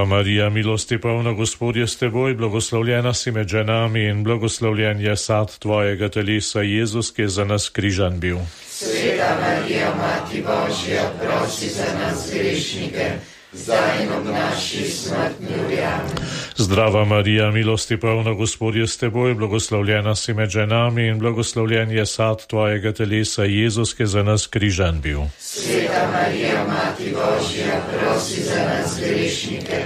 Marija, milosti polna, Gospod je s teboj, blagoslovljena si med ženami in blagoslovljen je sad tvojega telesa, Jezus, ki je za nas križan bil. Sveta Marija, Mati Božja, prosi za nas grešnike, zdaj in ob naši smrtni uri. Amen. Zdrava Marija, milosti polna, Gospod je s teboj, blagoslovljena si med ženami in blagoslovljen je sad tvojega telesa, Jezus, ki je za nas križan bil. Sveta Marija, Mati Božja, prosi za nas grešnike,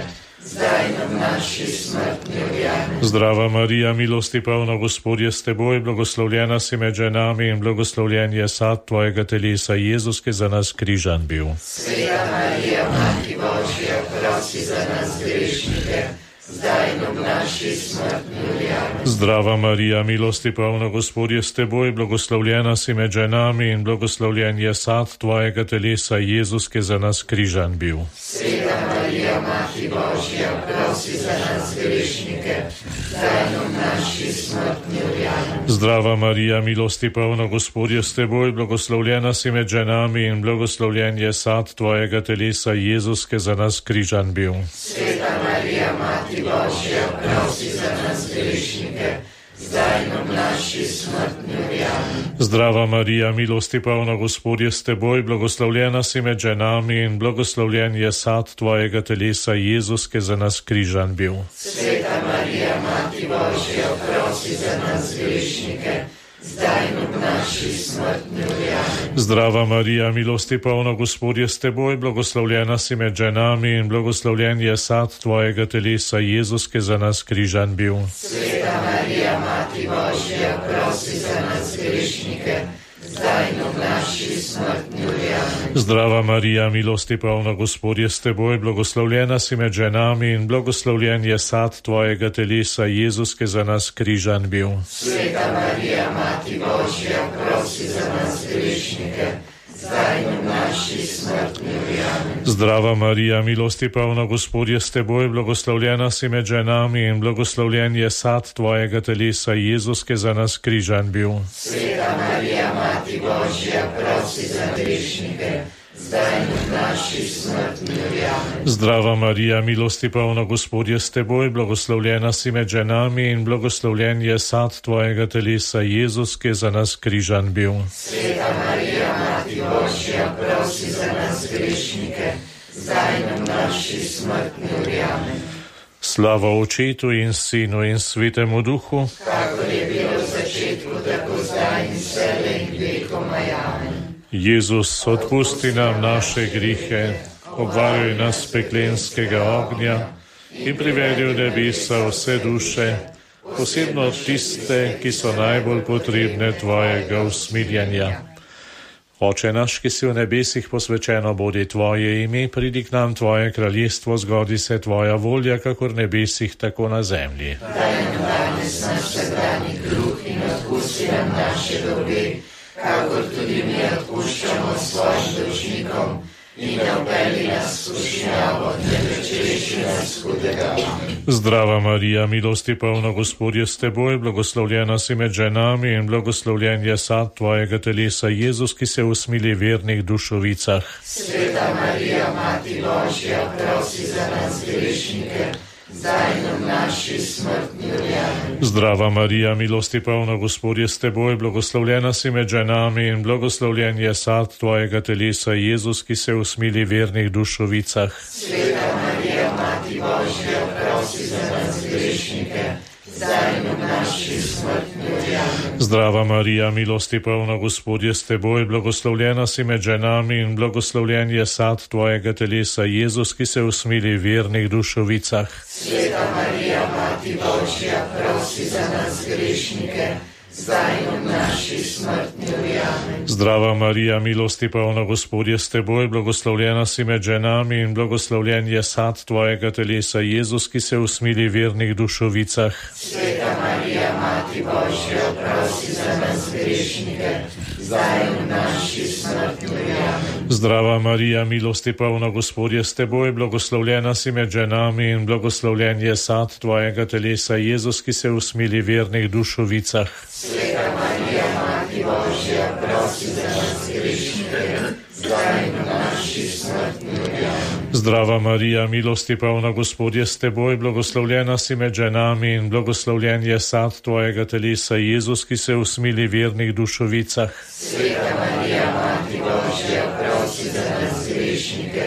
zdaj in ob naši smrtni uri. Amen. Zdrava Marija, milosti polna, Gospod je s teboj, blagoslovljena si med ženami in blagoslovljen je sad tvojega telesa, Jezus, ki je za nas križan bil. Sveta Marija, Mati Božja, prosi za nas grešnike, zdaj in ob naši smrtni uri. Amen. Zdrava Marija, milosti polna, Gospod je s teboj, blagoslovljena si med ženami in blagoslovljen je sad tvojega telesa, Jezus, ki je za nas križan bil. Sveta Marija, Mati Božja, prosi za nas grešnike, zdaj in ob naši smrtni uri. Amen. Zdrava Marija, milosti polna, Gospod je s teboj, blagoslovljena si med ženami in blagoslovljen je sad tvojega telesa, Jezus, ki je za nas križan bil. Sveta Marija, Mati Božja, prosi za nas grešnike, zdaj in ob naši smrtni uri. Amen. Zdrava Marija, milosti polna, Gospod je s teboj, blagoslovljena si med ženami in blagoslovljen je sad tvojega telesa, Jezus, ki je za nas križan bil. Sveta Marija, Mati Božja, prosi za nas grešnike, zdaj in ob naši smrtni uri. Amen. Zdrava Marija, milosti polna, Gospod je s teboj, blagoslovljena si med ženami in blagoslovljen je sad tvojega telesa, Jezus, ki je za nas križan bil. Sveta Marija, Mati Božja, prosi za nas grešnike, zdaj in ob naši smrtni uri. Amen. Zdrava Marija, milosti polna, Gospod je s teboj, blagoslovljena si med ženami in blagoslovljen je sad tvojega telesa, Jezus, ki je za nas križan bil. Sveta Marija, Mati Božja, prosi za nas grešnike, zdaj in ob naši smrtni uri. Amen. Zdrava Marija, milosti polna, Gospod je s teboj, blagoslovljena si med ženami in blagoslovljen je sad tvojega telesa, Jezus, ki je za nas križan bil. Sveta Marija, Mati Božja, prosi za grešnike, zdaj in ob naši smrtni uri. Amen. Zdrava Marija, milosti polna, Gospod je s teboj, blagoslovljena si med ženami in blagoslovljen je sad tvojega telesa, Jezus, ki je za nas križan bil. Sveta Marija, Mati Božja, prosi za nas grešnike, zdaj in ob naši smrtni uri. Amen. Slava Očetu in Sinu in Svetemu Duhu, kakor je bilo v začetku, tako zdaj in vselej in vekomaj. Amen. Jezus, odpusti nam naše grihe, obvaruj nas peklenskega ognja in privedi v nebesa vse duše, posebno tiste, ki so najbolj potrebne tvojega usmiljenja. Oče naš, ki si v nebesih, posvečeno bodi tvoje ime, pridi k nam tvoje kraljestvo, zgodi se tvoja volja, kakor v nebesih, tako na zemlji. Daj nam danes naš vsakdanji kruh in odpusti nam naše dolge, kakor tudi mi odpuščamo svojim dolžnikom, in ne vpelji nas v skušnjavo, temveč reši nas hudega. Zdrava Marija, milosti polna, Gospod je s teboj, blagoslovljena si med ženami in blagoslovljen je sad tvojega telesa, Jezus, ki se usmili vernih dušovicah. Sveta Marija, Mati Božja, prosi za nas grešnike, zdaj in ob naši smrtni uri. Amen. Zdrava Marija, milosti polna, Gospod je s teboj, blagoslovljena si med ženami in blagoslovljen je sad tvojega telesa, Jezus, ki se usmili vernih dušovicah. Sveta Marija, Mati Božja, prosi za nas grešnike, zdaj in ob naši smrtni uri. Amen. Zdrava Marija, milosti polna, Gospod je s teboj, blagoslovljena si med ženami in blagoslovljen je sad tvojega telesa, Jezus, ki se usmili vernih dušovicah. Sveta Marija, Mati Božja, prosi za nas grešnike, zdaj in ob naši smrtni uri. Amen. Zdrava Marija, milosti polna, Gospod je s teboj, blagoslovljena si med ženami in blagoslovljen je sad tvojega telesa, Jezus, ki se usmili vernih dušovicah. Sveta Marija, Mati Božja, prosi za nas grešnike, zdaj in ob naši smrtni uri. Amen. Zdrava Marija, milosti polna, Gospod je s teboj, blagoslovljena si med ženami in blagoslovljen je sad tvojega telesa, Jezus, ki se usmili vernih dušovicah. Sveta Marija, Mati Božja, prosi za nas grešnike, zdaj in ob naši smrtni uri. Amen. Zdrava Marija, milosti polna, Gospod je s teboj, blagoslovljena si med ženami in blagoslovljen je sad tvojega telesa, Jezus, ki se usmili vernih dušovicah. Sveta Marija, Mati Božja, prosi za nas grešnike,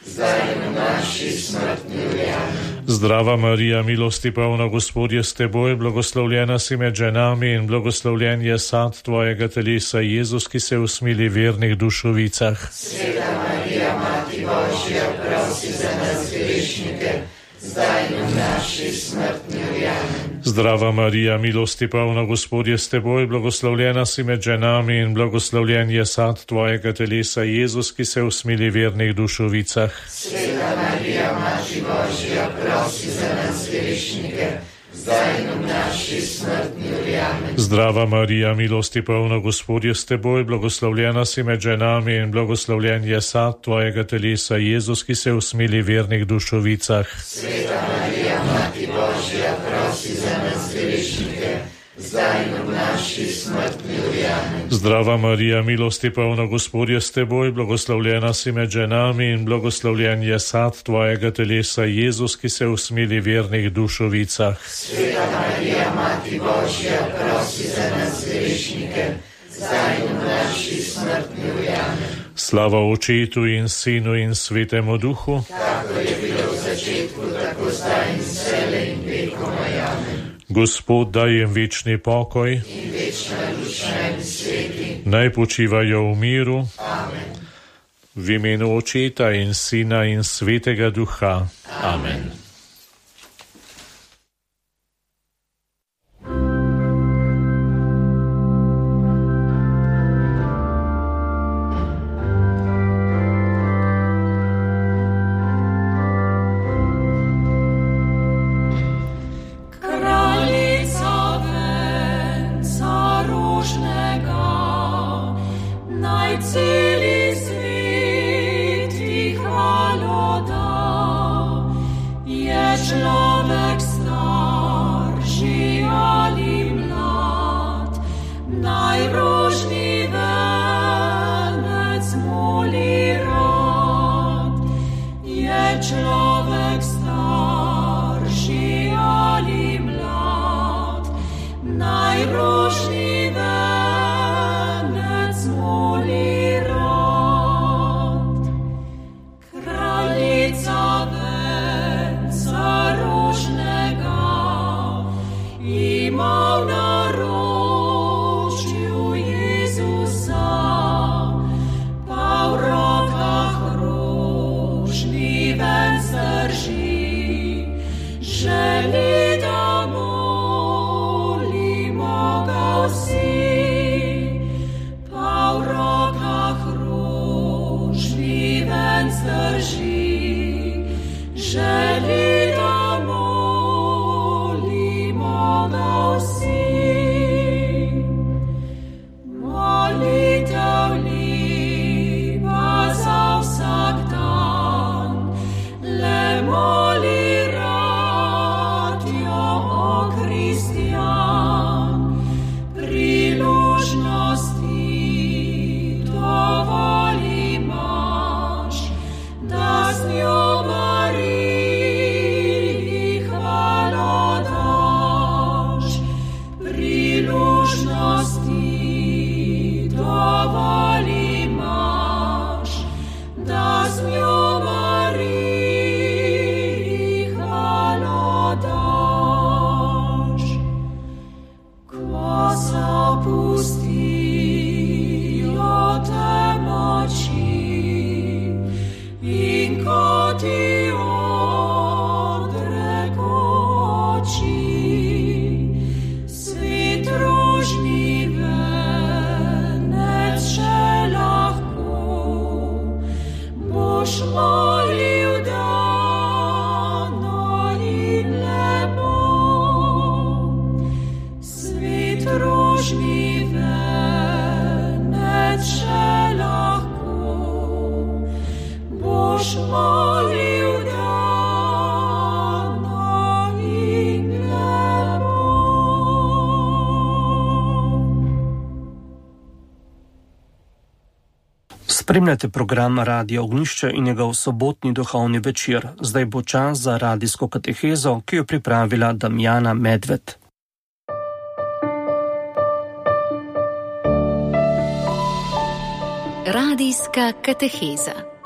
zdaj in v naši smrtni uri. Amen. Zdrava Marija, milosti polna, Gospod je s teboj, blagoslovljena si med ženami in blagoslovljen je sad tvojega telesa, Jezus, ki se usmili vernih dušovicah. Sveta Marija, Mati Božja, prosi za nas grešnike, zdaj in v naši smrtni uri. Amen. Zdrava Marija, milosti polna, Gospod je s teboj, blagoslovljena si med ženami in blagoslovljen je sad tvojega telesa, Jezus, ki se usmili vernih dušovicah. Sveta Marija, Mati Božja, prosi za nas grešnike, zdaj in v naši smrtni uri. Amen. Zdrava Marija, milosti polna, Gospod je s teboj, blagoslovljena si med ženami in blagoslovljen je sad tvojega telesa, Jezus, ki se usmili vernih dušovicah. Sveta Marija, Mati Božja, prosi za nas grešnike, zdaj in v naši smrtni uri. Amen. Zdrava Marija, milosti polna, Gospod je s teboj, blagoslovljena si med ženami in blagoslovljen je sad tvojega telesa, Jezus, ki se usmili vernih dušovicah. Sveta Marija, Mati Božja, prosi za nas grešnike, zdaj in v naši smrtni uri. Amen. Slava Očetu in Sinu in Svetemu Duhu, Kako je bilo v začetku, tako zdaj in vselej in vekomaj. Amen. Gospod daj jim večni pokoj, In večna luč naj bi sveti. naj počivajo v miru, Amen. v imenu Očeta in Sina in Svetega Duha. Amen. Maria. Spremljate program Radio Ognjišče in njegov sobotni duhovni večer. Zdaj bo čas za radijsko katehezo, ki jo pripravila Damjana Medved. Radijska kateheza.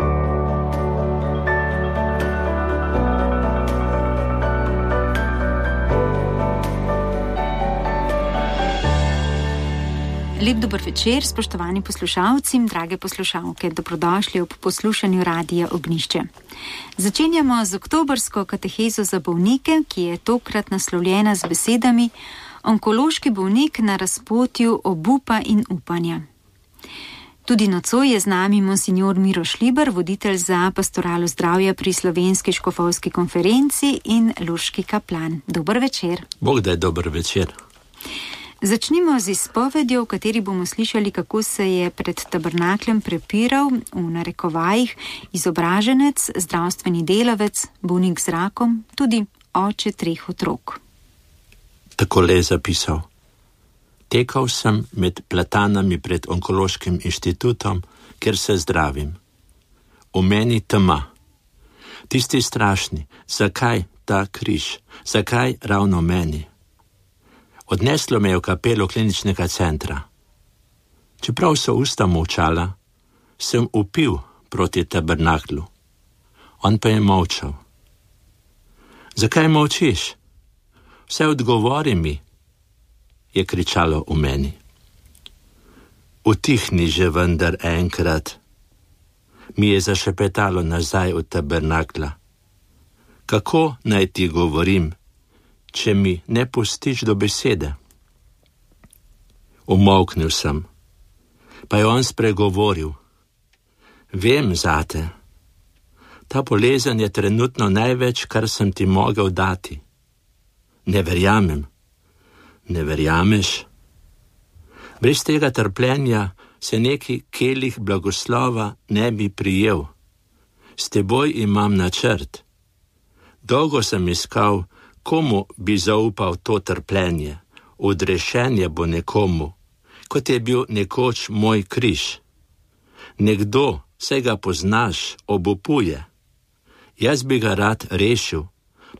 Lep dober večer, spoštovani poslušalci, drage poslušalke, dobrodošli ob poslušanju Radija Ognjišče. Začenjamo z oktobrsko katehezo za bolnike, ki je tokrat naslovljena z besedami Onkološki bolnik na razpotju obupa in upanja. Tudi nocoj je z nami monsignor Miro Šliber, voditelj za pastoralo zdravja pri Slovenski škofovski konferenci in lurški kaplan. Dober večer. Bog daj dober večer. Začnimo z izpovedjo, v kateri bomo slišali, kako se je pred tabernakljem prepiral, v narekovajih, izobraženec, zdravstveni delavec, bolnik z rakom, tudi oče 3 otrok. Takole je zapisal. Tekal sem med platanami pred onkološkim inštitutom, kjer se zdravim. V meni tema. Tisti strašni, zakaj ta križ, zakaj ravno meni? Odneslo me je v kapelo kliničnega centra. Čeprav so usta molčala, sem vpil proti tabernaklu. On pa je molčal. Zakaj molčiš? Vse odgovori mi, je kričalo v meni. Utihni že vendar enkrat, mi je zašepetalo nazaj od tabernakla. Kako naj ti govorim, če mi ne pustiš do besede? Umolknil sem, pa je on spregovoril. Vem zate, ta bolezen je trenutno največ, kar sem ti mogel dati. Ne verjamem. Ne verjameš? Brez tega trpljenja se neki kelih blagoslova ne bi prijel. S teboj imam načrt. Dolgo sem iskal, komu bi zaupal to trpljenje. Odrešenje bo nekomu, kot je bil nekoč moj križ. Nekdo, saj ga poznaš, obupuje. Jaz bi ga rad rešil,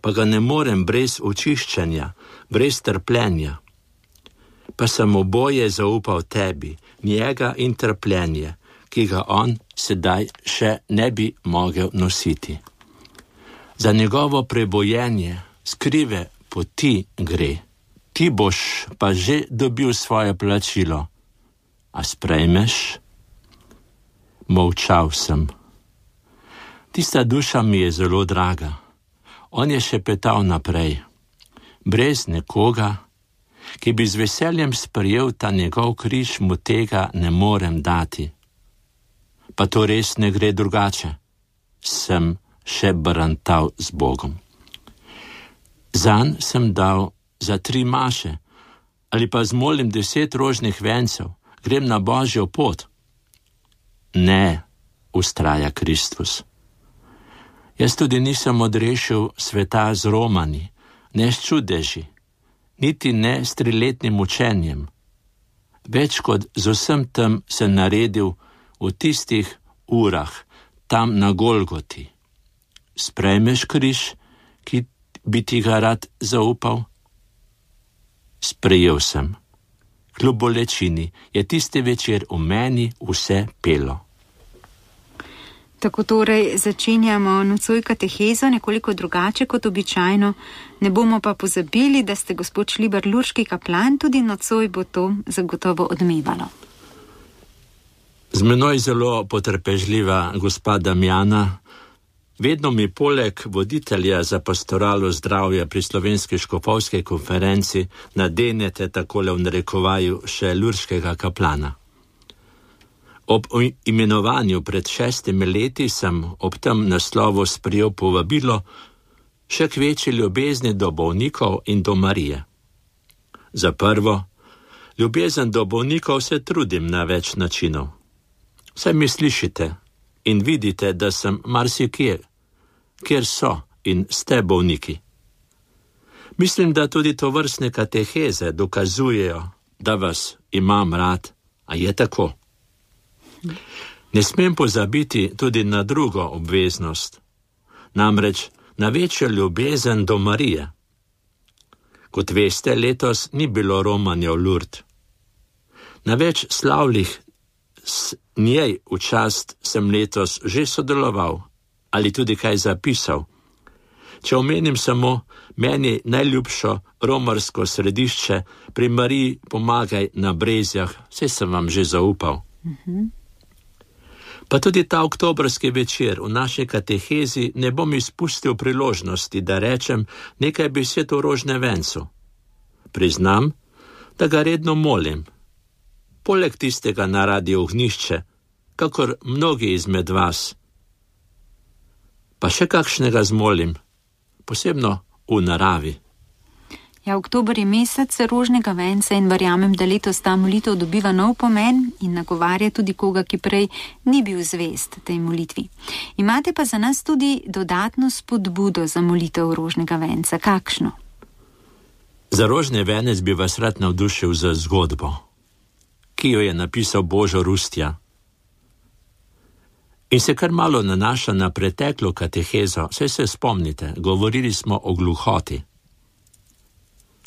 pa ga ne morem brez očiščenja, brez trpljenja. Pa sem oboje zaupal tebi, njega in trpljenje, ki ga on sedaj še ne bi mogel nositi. Za njegovo prebojenje skrive poti gre. Ti boš pa že dobil svoje plačilo. A sprejmeš? Molčal sem. Tista duša mi je zelo draga. On je šepetal naprej. Brez nekoga, ki bi z veseljem sprejel ta njegov križ, mu tega ne morem dati. Pa to res ne gre drugače. Sem še barantal z Bogom. Zanj sem dal za 3 maše, ali pa zmolim 10 rožnih vencev, grem na Božjo pot. Ne, ustraja Kristus. Jaz tudi nisem odrešil sveta z romani, ne s čudeži, niti ne s 3-letnim učenjem. Več kot z vsem tem se naredil v tistih urah, tam na Golgoti. Sprejmeš križ, ki bi ti ga rad zaupal? Sprejel sem. Kljub bolečini je tisti večer v meni vse pelo. Tako torej začenjamo nocoj katehezo nekoliko drugače kot običajno. Ne bomo pa pozabili, da ste gospod Šliber lurški kaplan, tudi nocoj bo to zagotovo odmevalo. Z menoj zelo potrpežljiva gospa Damjana. Vedno mi poleg voditelja za pastoralo zdravja pri Slovenski škofovski konferenci nadenete takole v narekovaju še lurškega kaplana. Ob imenovanju pred 6 leti sem ob tem naslovu sprejel povabilo še k večji ljubezni do bolnikov in do Marije. Za prvo, ljubezen do bolnikov se trudim na več načinov. Saj mi slišite in vidite, da sem marsikjer, kjer so in ste bolniki. Mislim, da tudi tovrstne kateheze dokazujejo, da vas imam rad, a je tako. Ne smem pozabiti tudi na drugo obveznost, namreč na večjo ljubezen do Marije. Kot veste, letos ni bilo romanja v Lourdes. Na več slavljih s njej v čast sem letos že sodeloval ali tudi kaj zapisal. Če omenim samo meni najljubšo romarsko središče pri Mariji Pomagaj na Brezjah, saj sem vam že zaupal. Pa tudi ta oktobrski večer v naši katehezi ne bom izpustil priložnosti, da rečem nekaj besed o rožnevencu. Priznam, da ga redno molim. Poleg tistega na Radiu Ognjišče, kakor mnogi izmed vas. Pa še kakšnega zmolim, posebno v naravi. Ja, oktober je mesec rožnega venca in verjamem, da letos ta molitev dobiva nov pomen in nagovarja tudi koga, ki prej ni bil zvest tej molitvi. Imate pa za nas tudi dodatno spodbudo za molitev rožnega venca. Kakšno? Za rožni venec bi vas rad navdušil za zgodbo, ki jo je napisal Božo Rustja. In se kar malo nanaša na preteklo katehezo, saj se spomnite, govorili smo o gluhoti.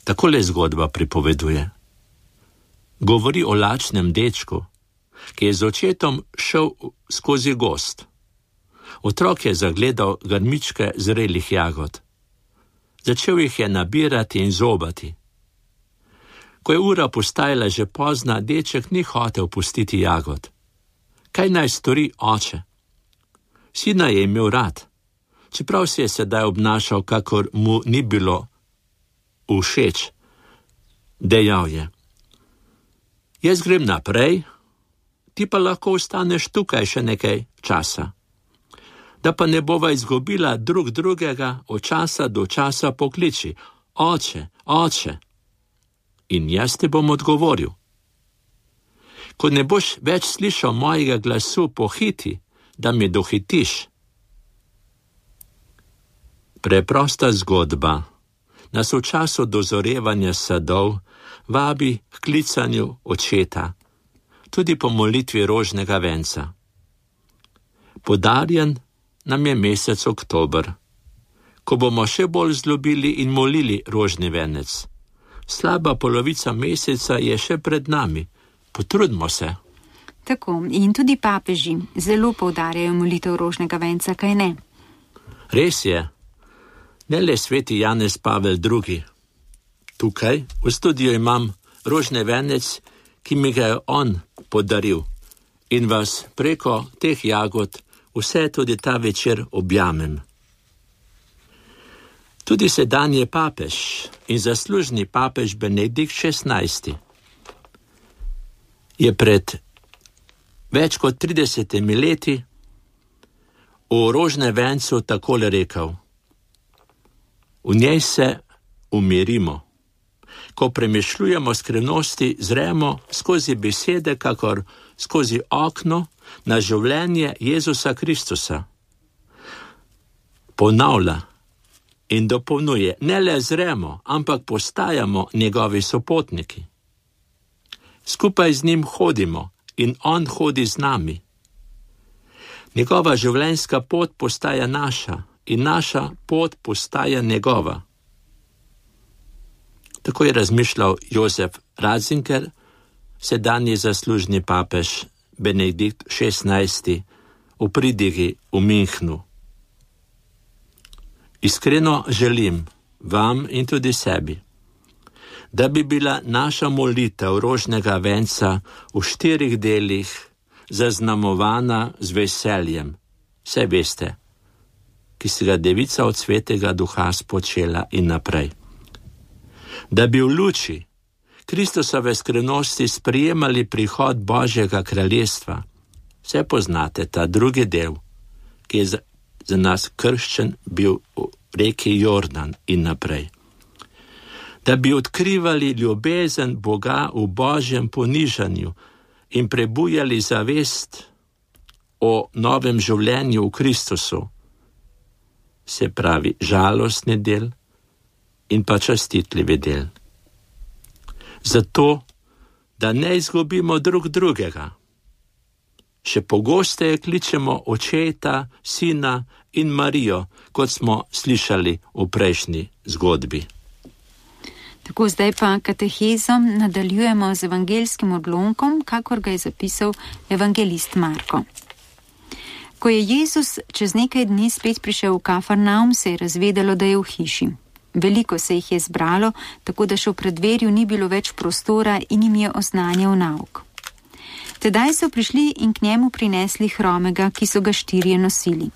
Takole zgodba pripoveduje. Govori o lačnem dečku, ki je z očetom šel skozi gozd. Otrok je zagledal grmičke zrelih jagod. Začel jih je nabirati in zobati. Ko je ura postajala že pozna, deček ni hotel pustiti jagod. Kaj naj stori oče? Sina je imel rad, čeprav se je sedaj obnašal, kakor mu ni bilo všeč. Dejal je: jaz grem naprej, ti pa lahko ostaneš tukaj še nekaj časa. Da pa ne bova izgubila drug drugega, od časa do časa pokliči: oče, oče. In jaz ti bom odgovoril. Ko ne boš več slišal mojega glasu, pohiti, da mi dohitiš. Preprosta zgodba nas v času dozorevanja sadov vabi k klicanju očeta, tudi po molitvi rožnega venca. Podarjen nam je mesec oktober, ko bomo še bolj zljubili in molili rožni venec. Slaba polovica meseca je še pred nami. Potrudimo se. Tako, in tudi papeži zelo poudarjajo molitev rožnega venca, kaj ne? Res je. Ne le sveti Janez Pavel II. Tukaj v studiu imam rožni venec, ki mi ga je on podaril, in vas preko teh jagod vse tudi ta večer objamem. Tudi sedanji papež in zaslužni papež Benedikt XVI je pred več kot 30 leti o rožnem vencu takole rekel: v njej se umirimo. Ko premišljujemo skrivnosti, zremo skozi besede, kakor skozi okno na življenje Jezusa Kristusa. Ponavlja in dopolnjuje, ne le zremo, ampak postajamo njegovi sopotniki. Skupaj z njim hodimo in on hodi z nami. Njegova življenjska pot postaja naša in naša pot postaja njegova. Tako je razmišljal Josef Ratzinger, sedanji zaslužni papež Benedikt XVI v pridigi v Münchnu. Iskreno želim vam in tudi sebi, da bi bila naša molitev rožnega venca v 4 delih zaznamovana z veseljem, vse veste, ki se ga Devica od Svetega Duha spočela in naprej. Da bi v luči Kristusove skrivnosti sprejemali prihod Božjega kraljestva, vse poznate ta drugi del, ki je za nas krščen bil v reki Jordan in naprej. Da bi odkrivali ljubezen Boga v Božjem ponižanju in prebujali zavest o novem življenju v Kristusu, se pravi žalostni del in pa častitljivi del. Zato, da ne izgubimo drug drugega, še pogosteje kličemo Očeta, Sina in Marijo, kot smo slišali v prejšnji zgodbi. Tako zdaj pa katehezom nadaljujemo z evangelskim odlomkom, kakor ga je zapisal evangelist Marko. Ko je Jezus čez nekaj dni spet prišel v Kafarnaum, se je razvedelo, da je v hiši. Veliko se jih je zbralo, tako da še v preddverju ni bilo več prostora in jim je oznanjal nauk. Tedaj so prišli in k njemu prinesli hromega, ki so ga 4 nosili.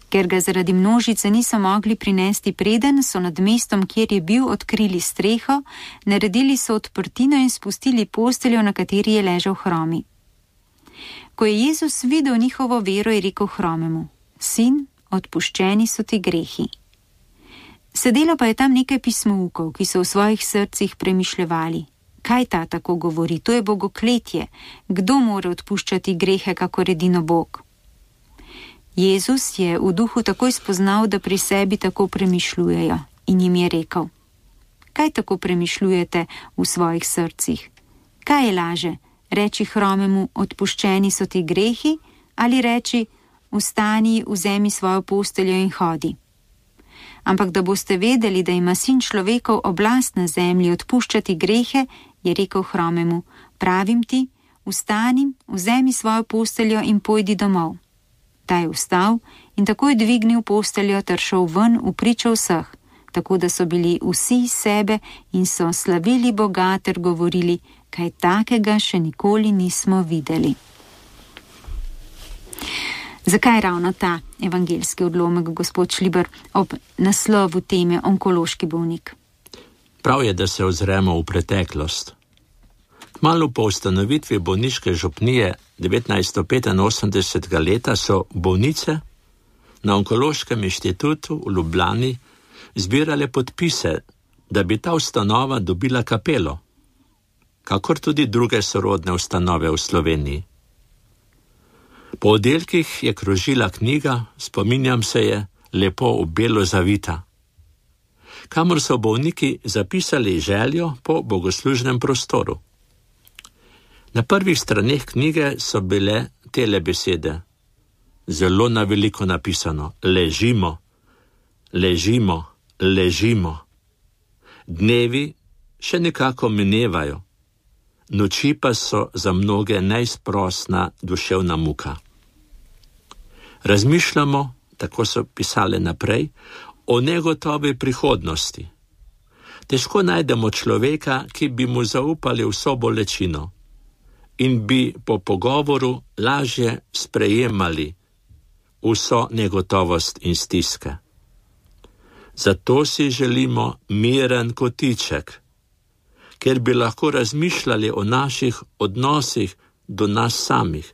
Ker ga zaradi množice niso mogli prinesti preden, so nad mestom, kjer je bil, odkrili streho, naredili so odprtino in spustili posteljo, na kateri je ležal hromi. Ko je Jezus videl njihovo vero, je rekel hromemu: Sin, odpuščeni so ti grehi. Sedelo pa je tam nekaj pismoukov, ki so v svojih srcih premišljevali: kaj ta tako govori, to je bogokletje, kdo more odpuščati grehe, kakor edino Bog? Jezus je v duhu takoj spoznal, da pri sebi tako premišljujejo, in jim je rekel: kaj tako premišljujete v svojih srcih? Kaj je laže, reči hromemu: odpuščeni so ti grehi, ali reči: vstani, vzemi svojo posteljo in hodi? Ampak da boste vedeli, da ima Sin človekov oblast na zemlji odpuščati grehe, je rekel hromemu: pravim ti, vstani, vzemi svojo posteljo in pojdi domov. Ta je vstal in takoj dvignil posteljo ter šel ven v pričo vseh, tako da so bili vsi iz sebe in so slavili Boga ter govorili: kaj takega še nikoli nismo videli. Zakaj ravno ta evangelski odlomek, gospod Šliber, ob naslovu teme onkološki bolnik? Prav je, da se ozremo v preteklost. Kmalu po ustanovitvi bolniške župnije 1985. leta so bolnice na Onkološkem inštitutu v Ljubljani zbirale podpise, da bi ta ustanova dobila kapelo, kakor tudi druge sorodne ustanove v Sloveniji. Po oddelkih je krožila knjiga, spominjam se je, lepo v belo zavita, kamor so bolniki zapisali željo po bogoslužnem prostoru. Na prvih straneh knjige so bile tele besede, zelo na veliko napisano: ležimo, ležimo, ležimo. Dnevi še nekako minevajo, noči pa so za mnoge neizprosna duševna muka. Razmišljamo, tako so pisale naprej, o negotovi prihodnosti. Težko najdemo človeka, ki bi mu zaupali vso bolečino in bi po pogovoru lažje sprejemali vso negotovost in stiske. Zato si želimo miren kotiček, ker bi lahko razmišljali o naših odnosih do nas samih,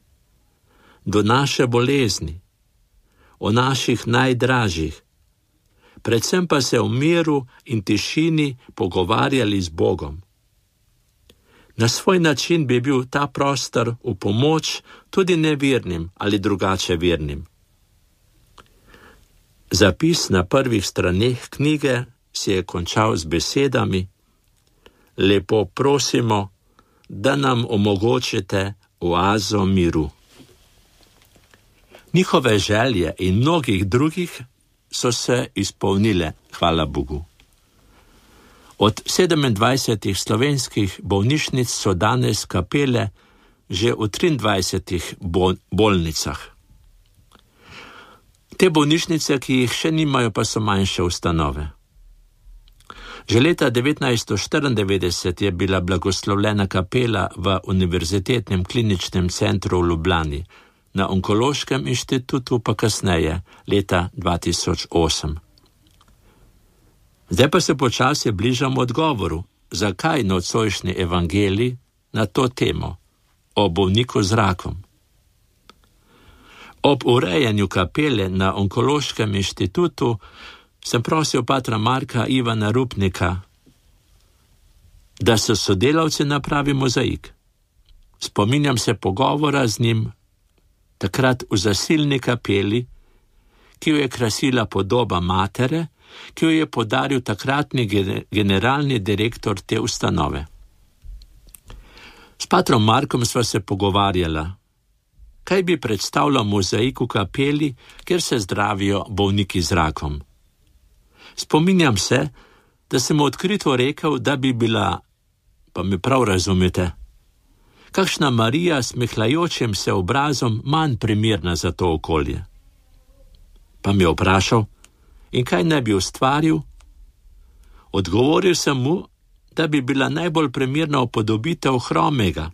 do naše bolezni, o naših najdražjih, predvsem pa se v miru in tišini pogovarjali z Bogom. Na svoj način bi bil ta prostor v pomoč tudi nevernim ali drugače vernim. Zapis na prvih straneh knjige si je končal z besedami: lepo prosimo, da nam omogočite oazo miru. Njihove želje in mnogih drugih so se izpolnile, hvala Bogu. Od 27 slovenskih bolnišnic so danes kapele že v 23 bolnicah. Te bolnišnice, ki jih še nimajo, pa so manjše ustanove. Že leta 1994 je bila blagoslovljena kapela v Univerzitetnem kliničnem centru v Ljubljani, na Onkološkem inštitutu pa kasneje, leta 2008. Zdaj pa se počasi bližamo odgovoru, zakaj nocojšnji evangelij na to temo, o bolniku z rakom. Ob urejanju kapele na Onkološkem inštitutu sem prosil patra Marka Ivana Rupnika, da so sodelavci napravi mozaik. Spominjam se pogovora z njim takrat v zasilni kapeli, ki jo je krasila podoba matere, ki jo je podaril takratni generalni direktor te ustanove. S patrom Markom sva se pogovarjala kaj bi predstavljal mozaik v kapeli, kjer se zdravijo bolniki z rakom. Spominjam se, da sem odkrito rekel, da bi bila, pa me prav razumete, kakšna Marija s smehljajočim se obrazom manj primerna za to okolje. Pa me vprašal, in kaj ne bi ustvaril? Odgovoril sem mu, da bi bila najbolj primerna upodobitev hromega,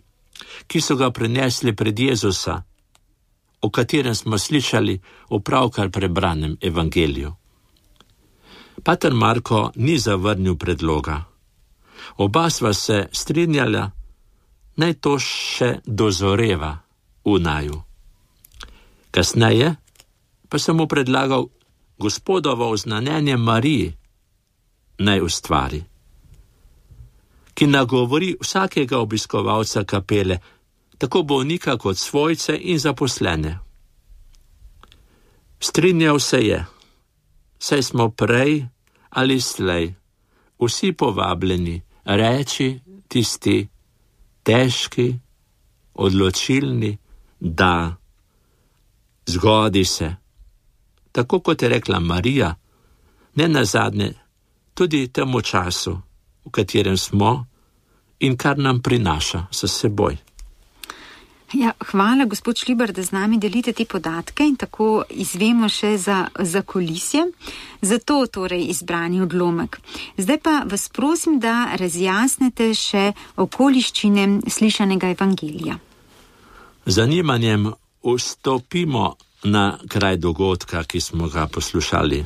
ki so ga prinesli pred Jezusa, o katerem smo slišali v pravkar prebranem evangeliju. Pater Marko ni zavrnil predloga. Oba sva se strinjala, naj to še dozoreva v naju. Kasneje pa sem mu predlagal Gospodovo oznanjenje Mariji naj ustvari, ki nagovori vsakega obiskovalca kapele, tako bolnika kot svojce in zaposlene. Strinjal se je, saj smo prej ali slej vsi povabljeni reči tisti težki, odločilni da, zgodi se, tako kot je rekla Marija, ne nazadnje tudi temu času, v katerem smo in kar nam prinaša s seboj. Ja, hvala, gospod Šlibar, da z nami delite te podatke in tako izvemo še za kulisje. Zato torej izbrani odlomek. Zdaj pa vas prosim, da razjasnite še okoliščine slišanega evangelija. Zanimanjem vstopimo na kraj dogodka, ki smo ga poslušali.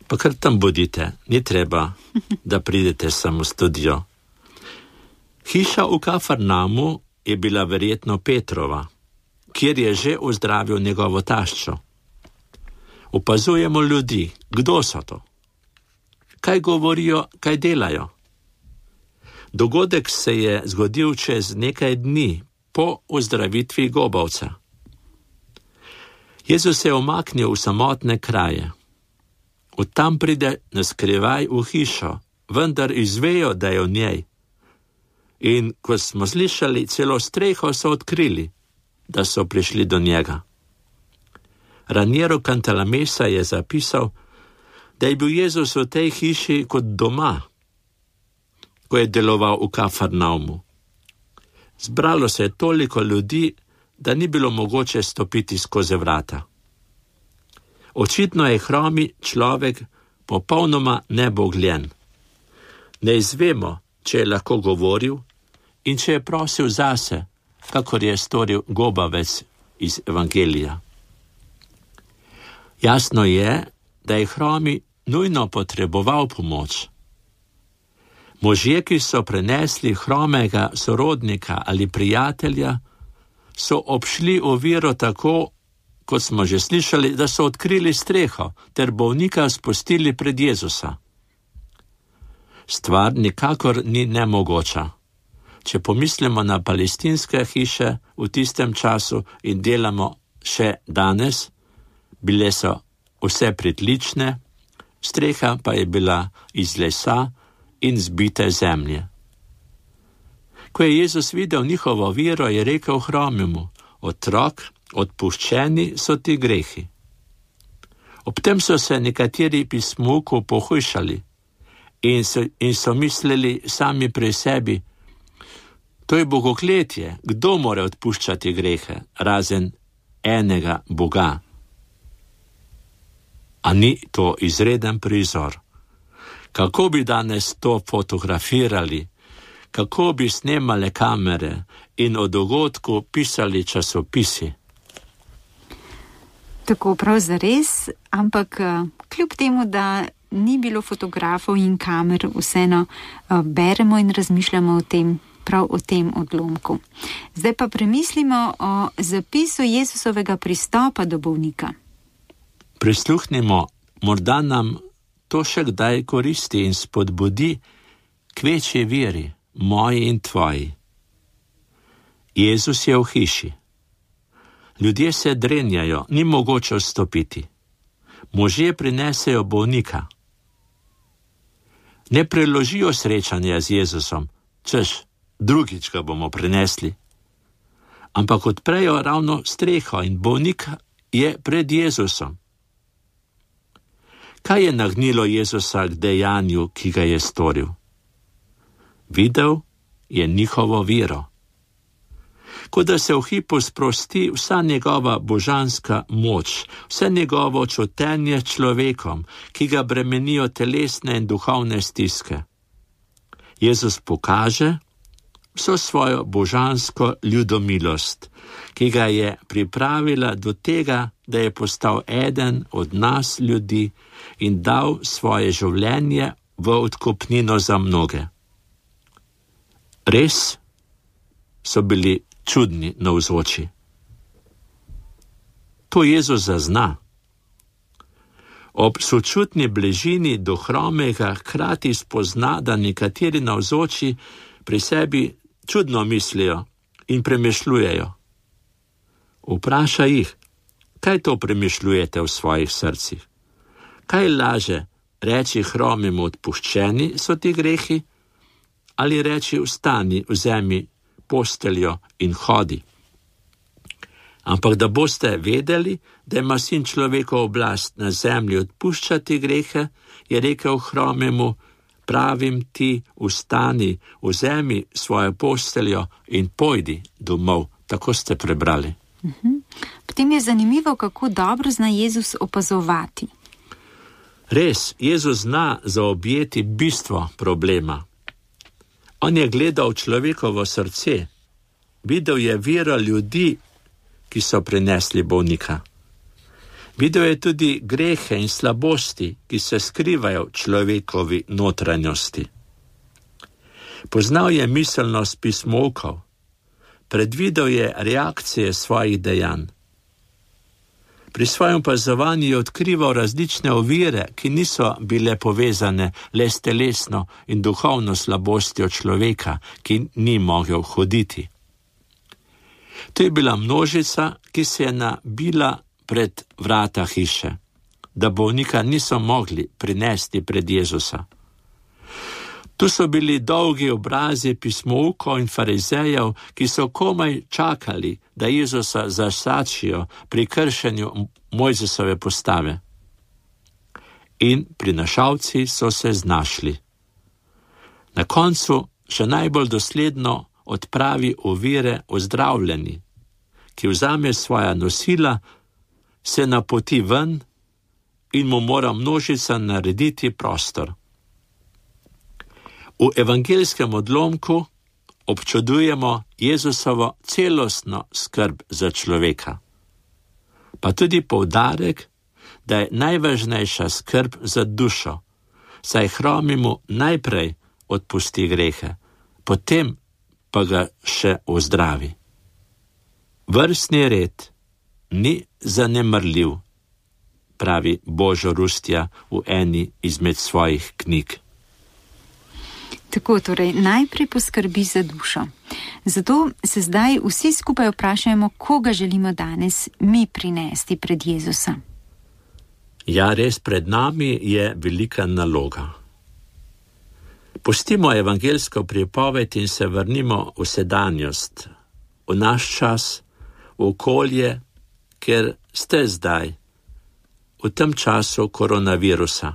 Pa kar tam bodite, ni treba, da pridete samo v studio. Hiša v Kafarnaumu je bila verjetno Petrova, kjer je že ozdravil njegovo taščo. Opazujemo ljudi, kdo so to? Kaj govorijo, kaj delajo? Dogodek se je zgodil čez nekaj dni po ozdravitvi gobavca. Jezus se je umaknil v samotne kraje. Od tam pride na skrivaj v hišo, vendar izvejo, da je v njej. In ko smo slišali, celo streho so odkrili, da so prišli do njega. Raniero Cantalamessa je zapisal, da je bil Jezus v tej hiši kot doma, ko je deloval v Kafarnaumu. Zbralo se je toliko ljudi, da ni bilo mogoče stopiti skozi vrata. Očitno je hromi človek popolnoma nebogljen. Ne izvemo, če je lahko govoril in če je prosil zase, kakor je storil gobavec iz evangelija. Jasno je, da je hromi nujno potreboval pomoč. Možje, ki so prenesli hromega sorodnika ali prijatelja, so obšli oviro tako, kot smo že slišali, da so odkrili streho ter bolnika spustili pred Jezusa. Stvar nikakor ni nemogoča. Če pomislimo na palestinske hiše v tistem času in delamo še danes, bile so vse pritlične, streha pa je bila iz lesa in zbite zemlje. Ko je Jezus videl njihovo vero, je rekel hromemu: otrok, odpuščeni so ti grehi. Ob tem so se nekateri pismuku pohujšali in so mislili sami pri sebi: to je bogokletje, kdo more odpuščati grehe, razen enega Boga? A ni to izreden prizor? Kako bi danes to fotografirali? Kako bi snemale kamere in o dogodku pisali časopisi? Tako prav zares, ampak kljub temu, da ni bilo fotografov in kamer, vseeno beremo in razmišljamo o tem, prav o tem odlomku. Zdaj pa premislimo o zapisu Jezusovega pristopa do bolnika. Prisluhnimo, morda nam to še kdaj koristi in spodbudi k večji veri, moji in tvoji. Jezus je v hiši. Ljudje se drenjajo, ni mogoče vstopiti. Možje prinesejo bolnika. Ne preložijo srečanja z Jezusom, češ, drugič ga bomo prinesli. ampak odprejo ravno streho in bolnik je pred Jezusom. Kaj je nagnilo Jezusa k dejanju, ki ga je storil? Videl je njihovo vero. Kot da se v hipu sprosti vsa njegova božanska moč, vse njegovo čutenje človekom, ki ga bremenijo telesne in duhovne stiske. Jezus pokaže vso svojo božansko ljudomilost, ki ga je pripravila do tega, da je postal eden od nas ljudi in dal svoje življenje v odkupnino za mnoge. Res so bili čudni navzoči. To Jezus zazna. Ob sočutni bližini do hromega hkrati spozna, da nekateri navzoči pri sebi čudno mislijo in premišljujejo. Vpraša jih, kaj to premišljujete v svojih srcih? Kaj laže reči hromemu odpuščeni so ti grehi, ali reči vstani, vzemi posteljo in hodi? Ampak da boste vedeli, da ima Sin človekov oblast na zemlji odpuščati grehe, je rekel hromemu, pravim ti, vstani, vzemi svojo posteljo in pojdi domov. Tako ste prebrali. Potem je zanimivo, kako dobro zna Jezus opazovati. Res, Jezus zna zaobjeti bistvo problema. On je gledal človekovo srce, videl je vero ljudi, ki so prinesli bolnika. Videl je tudi grehe in slabosti, ki se skrivajo v človekovi notranjosti. Poznal je miselnost pismovkov, predvidel je reakcije svojih dejanj. Pri svojem opazovanju je odkrival različne ovire, ki niso bile povezane le s telesno in duhovno slabostjo človeka, ki ni mogel hoditi. To je bila množica, ki se je nabila pred vrata hiše, da bolnika niso mogli prinesti pred Jezusa. Tu so bili dolgi obrazi pismoukov in farizejev, ki so komaj čakali, da Jezusa zasačijo pri kršenju Mojzesove postave. In prinašalci so se znašli. Na koncu še najbolj dosledno odpravi ovire ozdravljeni, ki vzame svoja nosila, se napoti ven in mu mora množica narediti prostor. V evangeljskem odlomku občudujemo Jezusovo celostno skrb za človeka, pa tudi poudarek, da je najvažnejša skrb za dušo, saj hromemu najprej odpusti grehe, potem pa ga še ozdravi. Vrstni red ni zanemarljiv, pravi Božo Rustja v eni izmed svojih knjig. Tako, torej, najprej poskrbi za dušo. Zato se zdaj vsi skupaj vprašajmo, koga želimo danes mi prinesti pred Jezusa. Ja, res pred nami je velika naloga. Pustimo evangeljsko pripoved in se vrnimo v sedanjost, v naš čas, v okolje, ker ste zdaj, v tem času koronavirusa.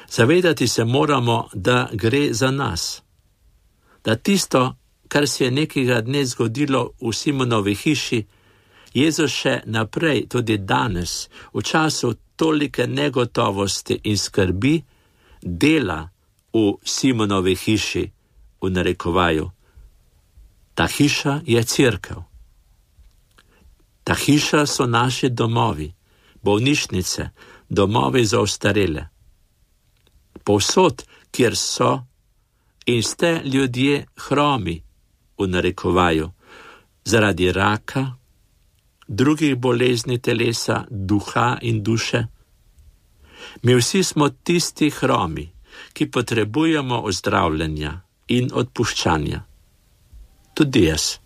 Zavedati se moramo, da gre za nas, da tisto, kar se je nekega dne zgodilo v Simonovi hiši, Jezus še naprej, tudi danes, v času tolike negotovosti in skrbi, dela v Simonovi hiši, v narekovaju. Ta hiša je cerkev. Ta hiša so naši domovi, bolnišnice, domovi za ostarele. Povsod, kjer so in ste ljudje hromi, v narekovaju, zaradi raka, drugih bolezni telesa, duha in duše. Mi vsi smo tisti hromi, ki potrebujemo ozdravljenja in odpuščanja. Tudi jaz.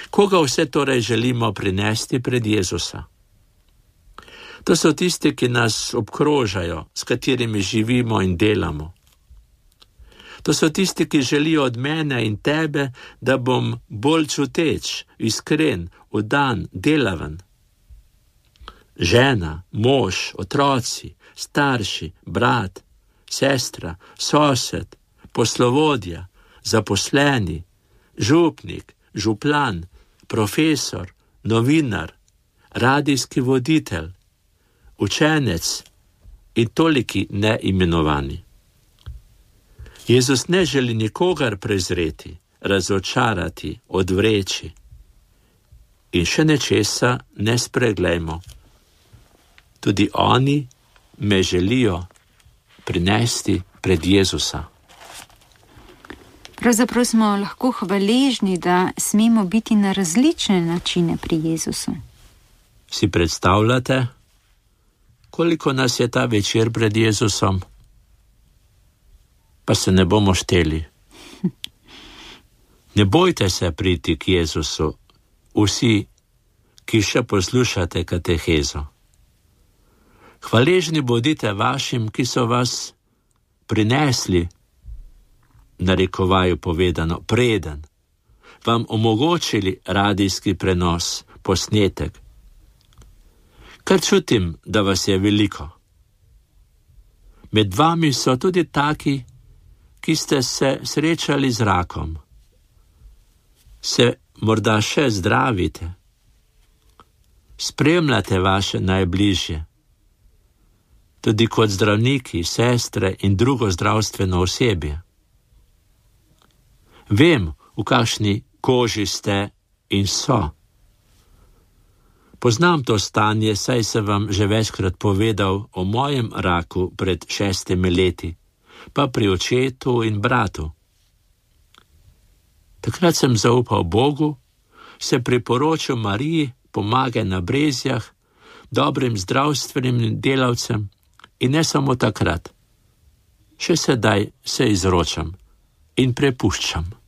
Koga vse torej želimo prinesti pred Jezusa? To so tisti, ki nas obkrožajo, s katerimi živimo in delamo. To so tisti, ki želijo od mene in tebe, da bom bolj čuteč, iskren, vdan, delaven. Žena, mož, otroci, starši, brat, sestra, sosed, poslovodja, zaposleni, župnik, župlan, profesor, novinar, radijski voditelj, učenec in toliki neimenovani. Jezus ne želi nikogar prezreti, razočarati, odvreči. In še nečesa ne spreglejmo. Tudi oni me želijo prinesti pred Jezusa. Pravzaprav smo lahko hvaležni, da smemo biti na različne načine pri Jezusu. Si predstavljate, koliko nas je ta večer pred Jezusom? Pa se ne bomo šteli. Ne bojte se priti k Jezusu, vsi, ki še poslušate katehezo. Hvaležni bodite vašim, ki so vas prinesli, narekovaju povedano, preden, vam omogočili radijski prenos, posnetek. Kar čutim, da vas je veliko. Med vami so tudi taki, ki ste se srečali z rakom. Se morda še zdravite. Spremljate vaše najbližje. Tudi kot zdravniki, sestre in drugo zdravstveno osebje. Vem, v kakšni koži ste in so. Poznam to stanje, saj sem vam že večkrat povedal o mojem raku pred 6 leti, pa pri očetu in bratu. Takrat sem zaupal Bogu, se priporočil Mariji, pomagaj na Brezjah, dobrim zdravstvenim delavcem in ne samo takrat. Še sedaj se izročam in prepuščam.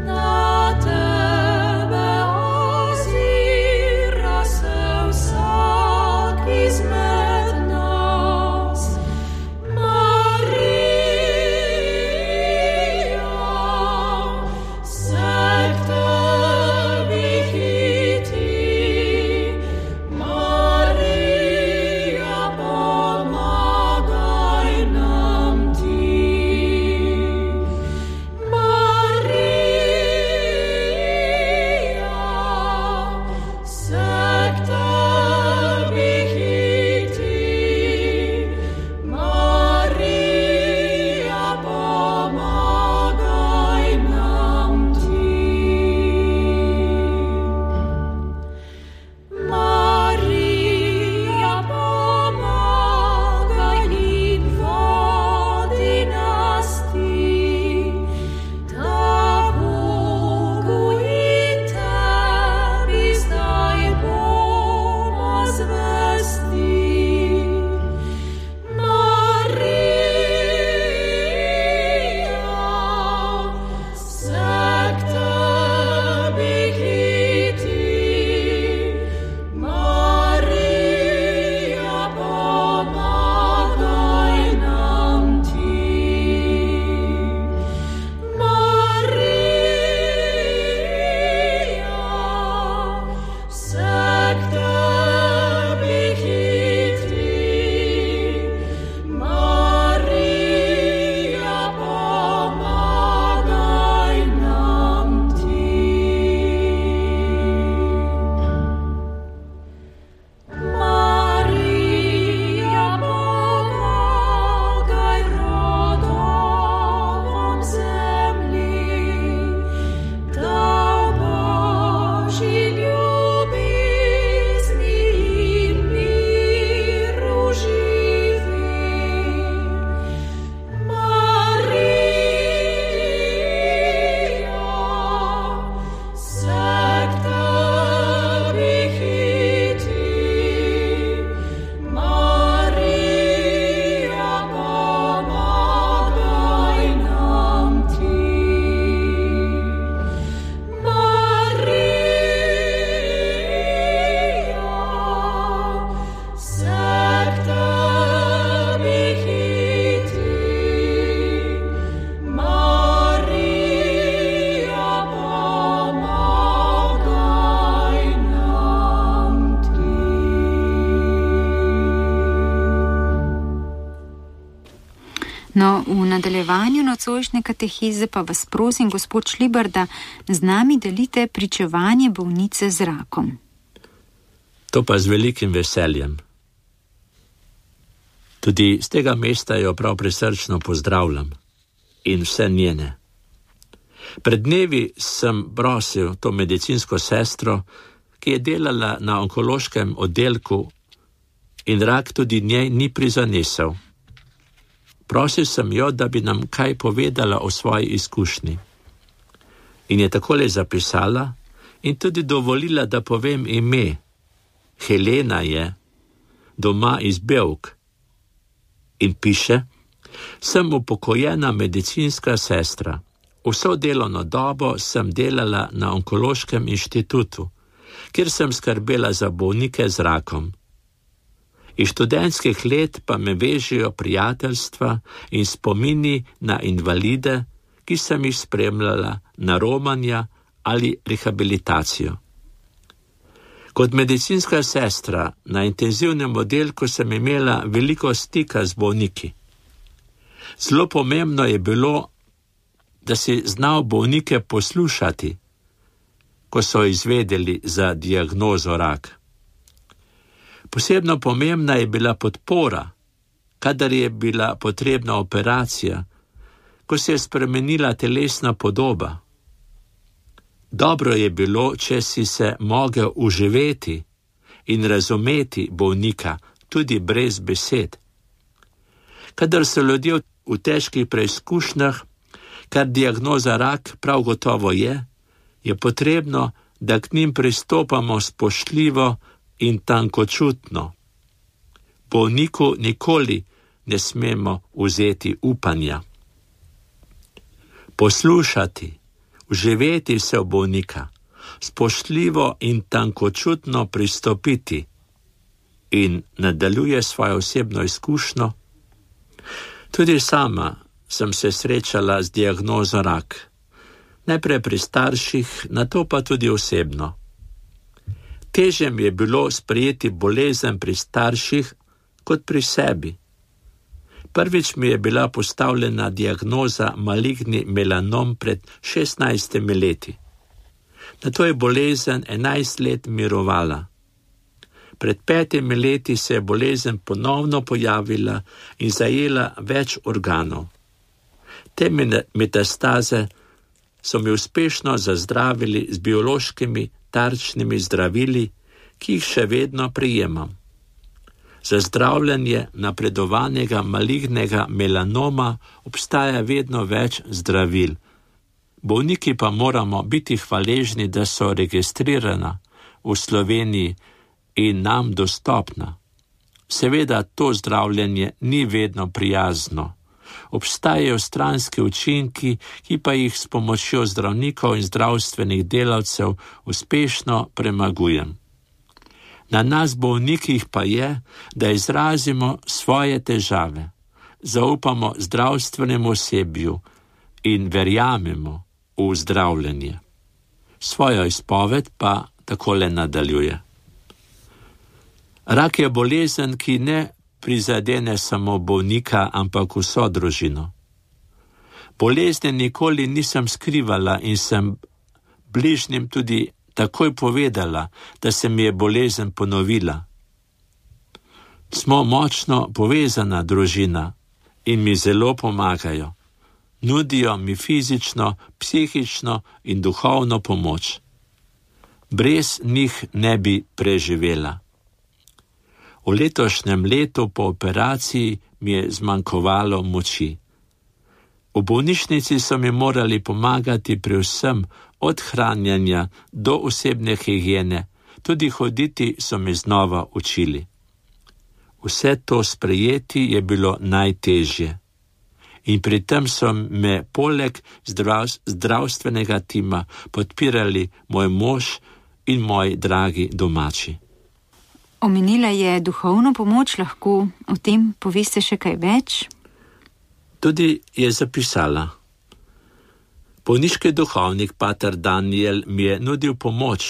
Na tebe No, v nadaljevanju nocojšnje katehize pa vas prosim, gospod Šlibar, da z nami delite pričevanje bolnice z rakom. To pa z velikim veseljem. Tudi z tega mesta jo prav prisrčno pozdravljam in vse njene. Pred dnevi sem prosil to medicinsko sestro, ki je delala na onkološkem oddelku in rak tudi njej ni prizanesel. Prosil sem jo, da bi nam kaj povedala o svoji izkušnji. In je takole zapisala in tudi dovolila, da povem ime. Helena je, doma iz Bevk. In piše: sem upokojena medicinska sestra. Vso delovno dobo sem delala na onkološkem inštitutu, kjer sem skrbela za bolnike z rakom. Iz študentskih let pa me vežijo prijateljstva in spomini na invalide, ki sem jih spremljala na romanja ali rehabilitacijo. Kot medicinska sestra na intenzivnem oddelku sem imela veliko stika z bolniki. Zelo pomembno je bilo, da si znal bolnike poslušati, ko so izvedeli za diagnozo rak. Posebno pomembna je bila podpora, kadar je bila potrebna operacija, ko se je spremenila telesna podoba. Dobro je bilo, če si se mogel uživeti in razumeti bolnika tudi brez besed. Kadar so ljudje v težkih preizkušnjah, kar diagnoza rak prav gotovo je potrebno, da k njim pristopamo spoštljivo in tankočutno. Bolniku nikoli ne smemo vzeti upanja. Poslušati, uživeti se v bolnika, spoštljivo in tankočutno pristopiti. In nadaljuje svojo osebno izkušnjo. Tudi sama sem se srečala z diagnozo rak. Najprej pri starših, nato pa tudi osebno. Težje mi je bilo sprejeti bolezen pri starših kot pri sebi. Prvič mi je bila postavljena diagnoza maligni melanom pred 16 leti. Nato je bolezen 11 let mirovala. Pred 5 leti se je bolezen ponovno pojavila in zajela več organov. Te metastaze so mi uspešno zazdravili z biološkimi tarčnimi zdravili, ki jih še vedno prejemam. Za zdravljenje napredovanega malignega melanoma obstaja vedno več zdravil. Bolniki pa moramo biti hvaležni, da so registrirana v Sloveniji in nam dostopna. Seveda to zdravljenje ni vedno prijazno. Obstajajo stranski učinki, ki pa jih s pomočjo zdravnikov in zdravstvenih delavcev uspešno premagujem. Na nas bolnikih pa je, da izrazimo svoje težave, zaupamo zdravstvenemu osebju in verjamemo v zdravljenje. Svojo izpoved pa takole nadaljuje. Rak je bolezen, ki ne prizadene samo bolnika, ampak vso družino. Bolezni nikoli nisem skrivala in sem bližnjim tudi takoj povedala, da se mi je bolezen ponovila. Smo močno povezana družina in mi zelo pomagajo. Nudijo mi fizično, psihično in duhovno pomoč. Brez njih ne bi preživela. V letošnjem letu po operaciji mi je zmanjkovalo moči. V bolnišnici so mi morali pomagati pri vsem, od hranjenja do osebne higiene, tudi hoditi so mi znova učili. Vse to sprejeti je bilo najtežje. In pri tem so me poleg zdravstvenega tima podpirali moj mož in moji dragi domači. Omenila je duhovno pomoč, lahko o tem poveste še kaj več? Tudi je zapisala. Bolniški duhovnik pater Daniel mi je nudil pomoč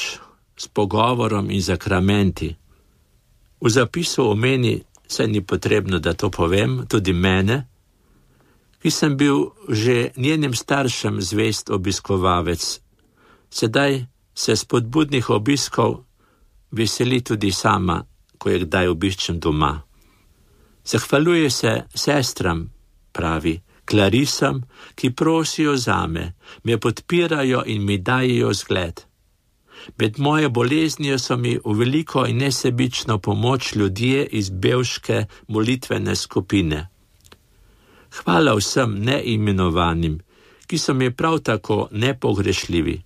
s pogovorom in zakramenti. V zapisu omeni, saj ni potrebno, da to povem, tudi mene, ki sem bil že njenim staršem zvest obiskovalec. Sedaj se spodbudnih obiskov veseli tudi sama, ko je kdaj obiščem doma. Zahvaljuje se sestram, pravi, Klarisam, ki prosijo zame, me podpirajo in mi dajejo zgled. Med moje boleznijo so mi v veliko in nesebično pomoč ljudje iz bevške molitvene skupine. Hvala vsem neimenovanim, ki so mi prav tako nepogrešljivi.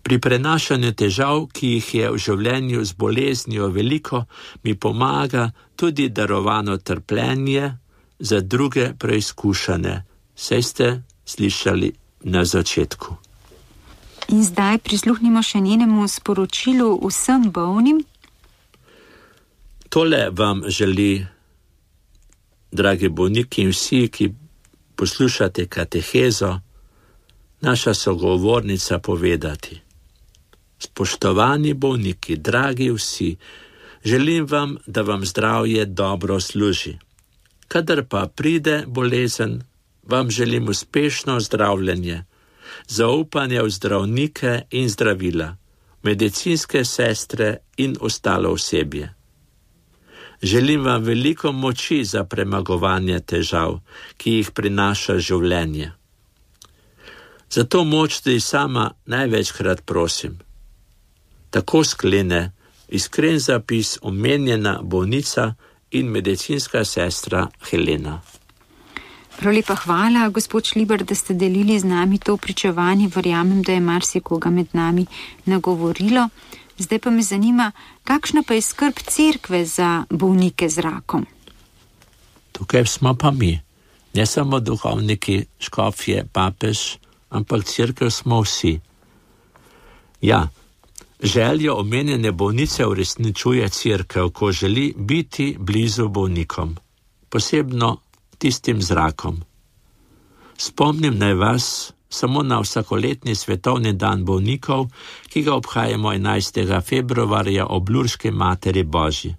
Pri prenašanju težav, ki jih je v življenju z boleznijo veliko, mi pomaga tudi darovano trpljenje za druge preizkušane. Saj ste slišali na začetku. In zdaj prisluhnimo še njenemu sporočilu vsem bolnim. Tole vam želi, dragi bolniki in vsi, ki poslušate katehezo, naša sogovornica povedati. Spoštovani bolniki, dragi vsi, želim vam, da vam zdravje dobro služi. Kadar pa pride bolezen, vam želim uspešno zdravljenje, zaupanje v zdravnike in zdravila, medicinske sestre in ostalo osebje. Želim vam veliko moči za premagovanje težav, ki jih prinaša življenje. Zato moč tudi sama največkrat prosim. Tako sklene iskren zapis omenjena bolnica in medicinska sestra Helena. Prav lepa hvala, gospod Šlibar, da ste delili z nami to pričevanje. Verjamem, da je marsikoga med nami nagovorilo. Zdaj pa me zanima, kakšna pa je skrb cerkve za bolnike z rakom? Tukaj smo pa mi, ne samo duhovniki, škofje, papež, ampak cerkev smo vsi. Ja, željo omenjene bolnice uresničuje cerkev, ko želi biti blizu bolnikom, posebno tistim z rakom. Spomnim naj vas samo na vsakoletni svetovni dan bolnikov, ki ga obhajamo 11. februarja ob Lurški materi Božji.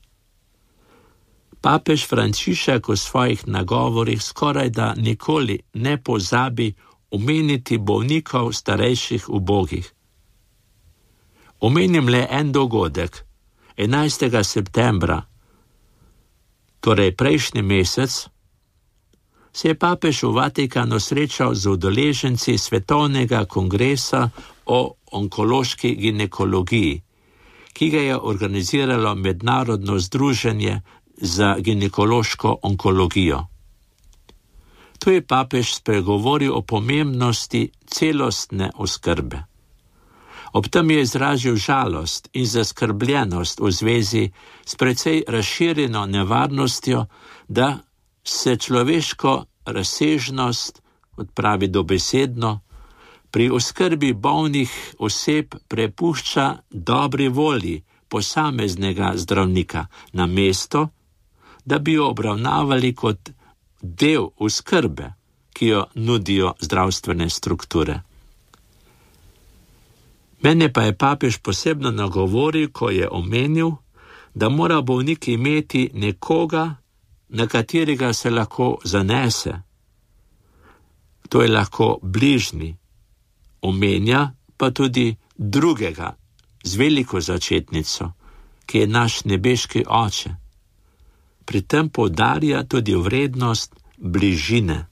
Papež Frančišek v svojih nagovorih skorajda nikoli ne pozabi omeniti bolnikov starejših ubogih. Omenim le en dogodek. 11. septembra, torej prejšnji mesec, se je papež v Vatikanu srečal z udeleženci Svetovnega kongresa o onkološki ginekologiji, ki ga je organiziralo Mednarodno združenje za ginekološko onkologijo. Tu je papež spregovoril o pomembnosti celostne oskrbe. Ob tem je izrazil žalost in zaskrbljenost v zvezi s precej razširjeno nevarnostjo, da se človeško razsežnost, kot pravi dobesedno, pri oskrbi bolnih oseb prepušča dobri volji posameznega zdravnika, namesto da bi jo obravnavali kot del oskrbe, ki jo nudijo zdravstvene strukture. Mene pa je papež posebno nagovoril, ko je omenil, da mora bolnik imeti nekoga, na katerega se lahko zanese. To je lahko bližnji, omenja pa tudi drugega z veliko začetnico, ki je naš nebeški oče. Pri tem poudarja tudi vrednost bližine.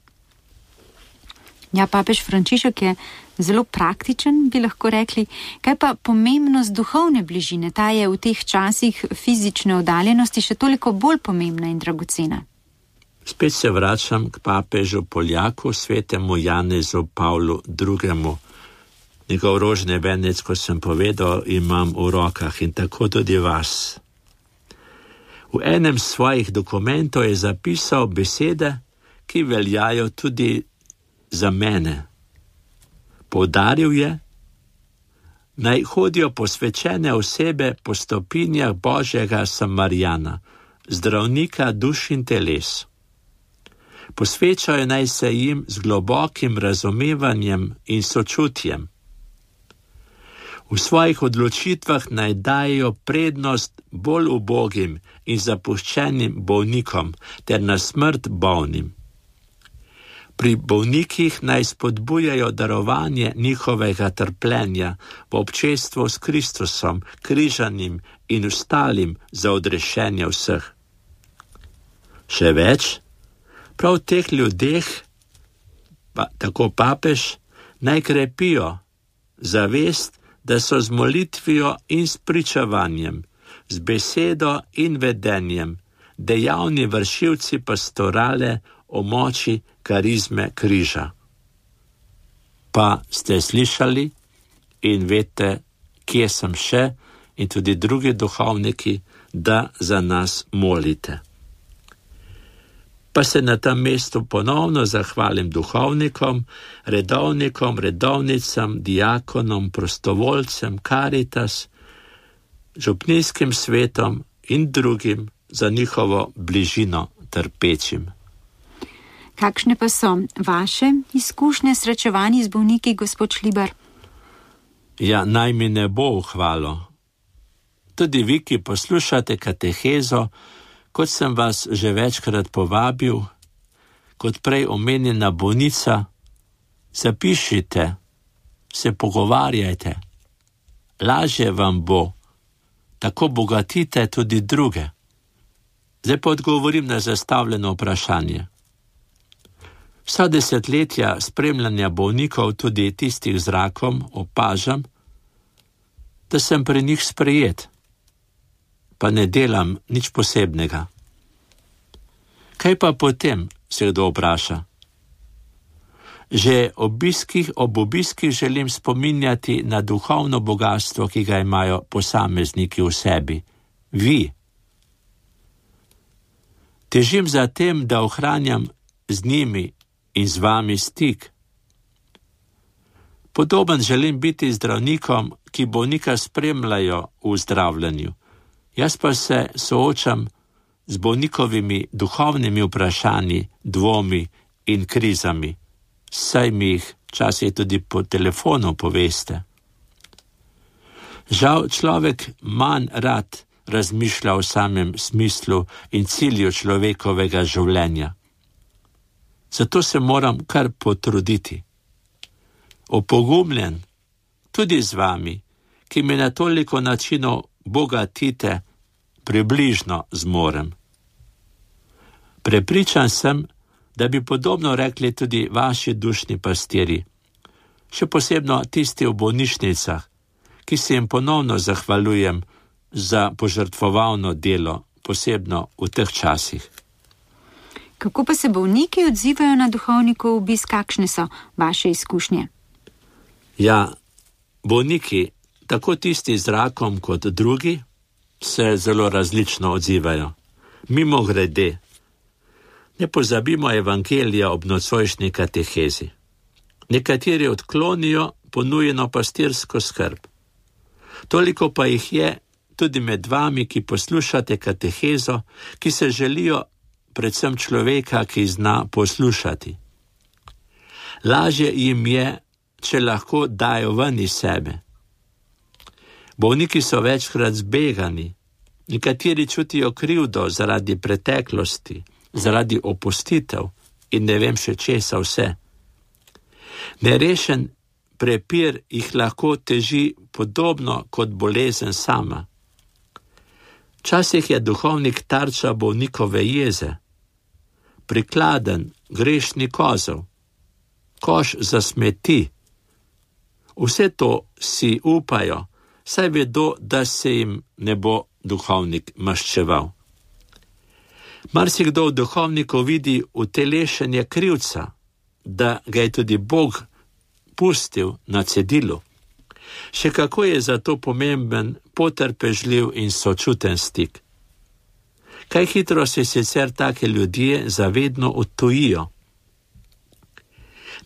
Ja, papež Frančišek je zelo praktičen, bi lahko rekli. Kaj pa pomembnost duhovne bližine? Ta je v teh časih fizične oddaljenosti še toliko bolj pomembna in dragocena. Spet se vračam k papežu Poljaku, svetemu Janezu Pavlu II. Njegov rožni venec, ko sem povedal, imam v rokah in tako tudi vas. V enem svojih dokumentov je zapisal besede, ki veljajo tudi za mene. Poudaril je, naj hodijo posvečene osebe po stopinjah Božjega Samarijana, zdravnika duš in teles. Posvečajo naj se jim z globokim razumevanjem in sočutjem. V svojih odločitvah naj dajo prednost bolj ubogim in zapuščenim bolnikom ter na smrt bolnim. Pri bolnikih naj spodbujajo darovanje njihovega trpljenja v občestvu s Kristusom, križanim in ostalim za odrešenje vseh. Še več, prav teh ljudeh, tako papež, naj krepijo zavest, da so z molitvijo in s pričevanjem, z besedo in vedenjem dejavni vršilci pastorale o moči karizme križa. Pa ste slišali in veste, kje sem še in tudi drugi duhovniki, da za nas molite. Pa se na tem mestu ponovno zahvalim duhovnikom, redovnikom, redovnicam, diakonom, prostovoljcem, Karitas, župnijskim svetom in drugim za njihovo bližino trpečim. Kakšne pa so vaše izkušnje srečevanji z bolniki, gospod Šlibar? Ja, naj mi ne bo v hvalo. Tudi vi, ki poslušate katehezo, kot sem vas že večkrat povabil, kot prej omenjena bolnica, zapišite, se pogovarjajte. Lažje vam bo, tako bogatite tudi druge. Zdaj pa odgovorim na zastavljeno vprašanje. Vsa desetletja spremljanja bolnikov, tudi tistih z rakom, opažam, da sem pri njih sprejet, pa ne delam nič posebnega. Kaj pa potem, se kdo vpraša? Že ob obiskih želim spominjati na duhovno bogatstvo, ki ga imajo posamezniki v sebi. Vi. Težim za tem, da ohranjam z njimi in z vami stik. Podoben želim biti zdravnikom, ki bolnika spremljajo v zdravljenju. Jaz pa se soočam z bolnikovimi duhovnimi vprašanji, dvomi in krizami. Saj mi jih včasih tudi po telefonu poveste. Žal človek manj rad razmišlja o samem smislu in cilju človekovega življenja. Zato se moram kar potruditi. Opogumljen tudi z vami, ki me na toliko načinov bogatite, približno zmorem. Prepričan sem, da bi podobno rekli tudi vaši dušni pastirji, še posebno tisti v bolnišnicah, ki se jim ponovno zahvaljujem za požrtvovalno delo, posebno v teh časih. Kako pa se bolniki odzivajo na duhovnikov obisk, kakšne so vaše izkušnje? Ja, bolniki, tako tisti z rakom kot drugi, se zelo različno odzivajo. Mimogrede, ne pozabimo evangelija ob nocojšnji katehezi. Nekateri odklonijo ponujeno pastirsko skrb. Toliko pa jih je tudi med vami, ki poslušate katehezo, ki se želijo predvsem človeka, ki zna poslušati. Lažje jim je, če lahko dajo ven iz sebe. Bolniki so večkrat zbegani, nekateri čutijo krivdo zaradi preteklosti, zaradi opustitev in ne vem še česa vse. Nerešen prepir jih lahko teži podobno kot bolezen sama. Včasih je duhovnik tarča bolnikove jeze, prikladen, grešni kozel, koš za smeti. Vse to si upajo, saj vedo, da se jim ne bo duhovnik maščeval. Marsikdo v duhovniku vidi utelešenje krivca, da ga je tudi Bog pustil na cedilu. Še kako je zato pomemben, potrpežljiv in sočuten stik. Kaj hitro se sicer take ljudje zavedno odtujijo.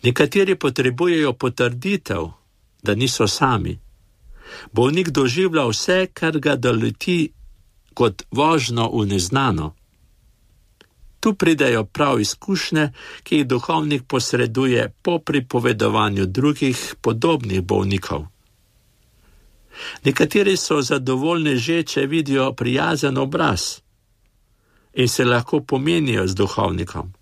Nekateri potrebujejo potrditev, da niso sami. Bolnik doživlja vse, kar ga doleti kot vožnjo v neznano. Tu pridejo prav izkušnje, ki jih duhovnik posreduje po pripovedovanju drugih podobnih bolnikov. Nekateri so zadovoljni že, če vidijo prijazen obraz in se lahko pomenijo z duhovnikom.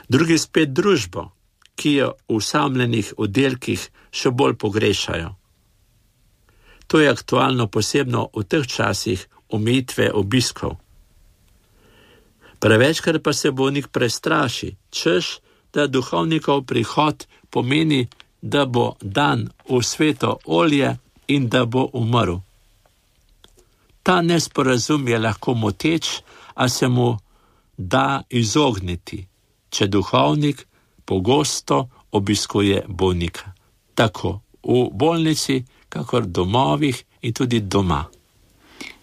drugi spet družbo, ki jo v osamljenih oddelkih še bolj pogrešajo. To je aktualno posebno v teh časih omejitve obiskov. Prevečkrat pa se bolnik prestraši, češ, da duhovnikov prihod pomeni, da bo dan v sveto olje in da bo umrl. Ta nesporazum je lahko moteč, a se mu da izogniti, če duhovnik pogosto obiskuje bolnika, tako v bolnici, kakor domovih in tudi doma.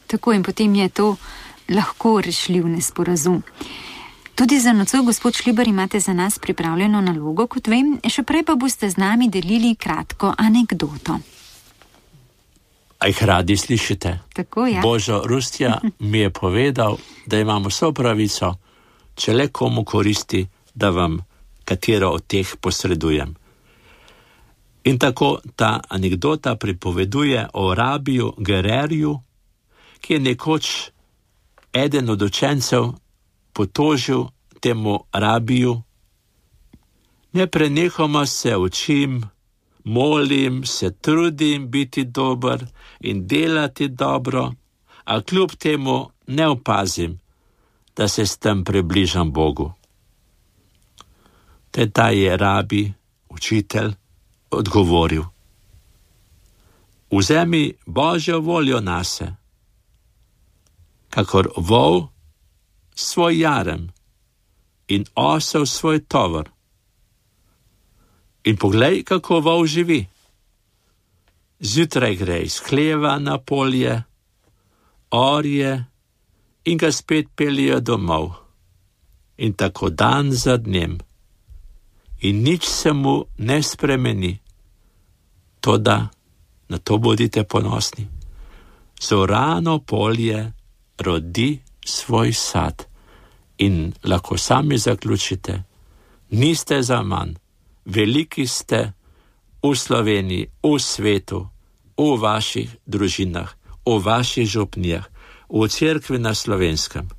Tako in potem je to lahko rešljiv nesporazum. Tudi za nocoj, gospod Šlibar, imate za nas pripravljeno nalogo, kot vem, še prej pa boste z nami delili kratko anekdoto. A jih radi slišite? Tako, ja. Božo Rustja mi je povedal, da imamo vso pravico, če le komu koristi, da vam katero od teh posredujem. In tako ta anekdota pripoveduje o rabiju Gererju, ki je nekoč eden od učencev potožil temu rabiju: neprenehoma se učim, molim, se trudim biti dober in delati dobro, a kljub temu ne opazim, da se s tem približam Bogu. Ta je rabi, učitelj, odgovoril: vzemi Božjo voljo nase, kakor vol svoj jarem in osel svoj tovor. In poglej, kako vol živi. Zjutraj gre iz hleva na polje, orje in ga spet peljejo domov. In tako dan za dnem. In nič se mu ne spremeni. Toda, na to bodite ponosni, zorano polje rodi svoj sad. In lahko sami zaključite, niste zaman, veliki ste v Sloveniji, v svetu, v vaših družinah, v vaših župnijah, v cerkvi na Slovenskem.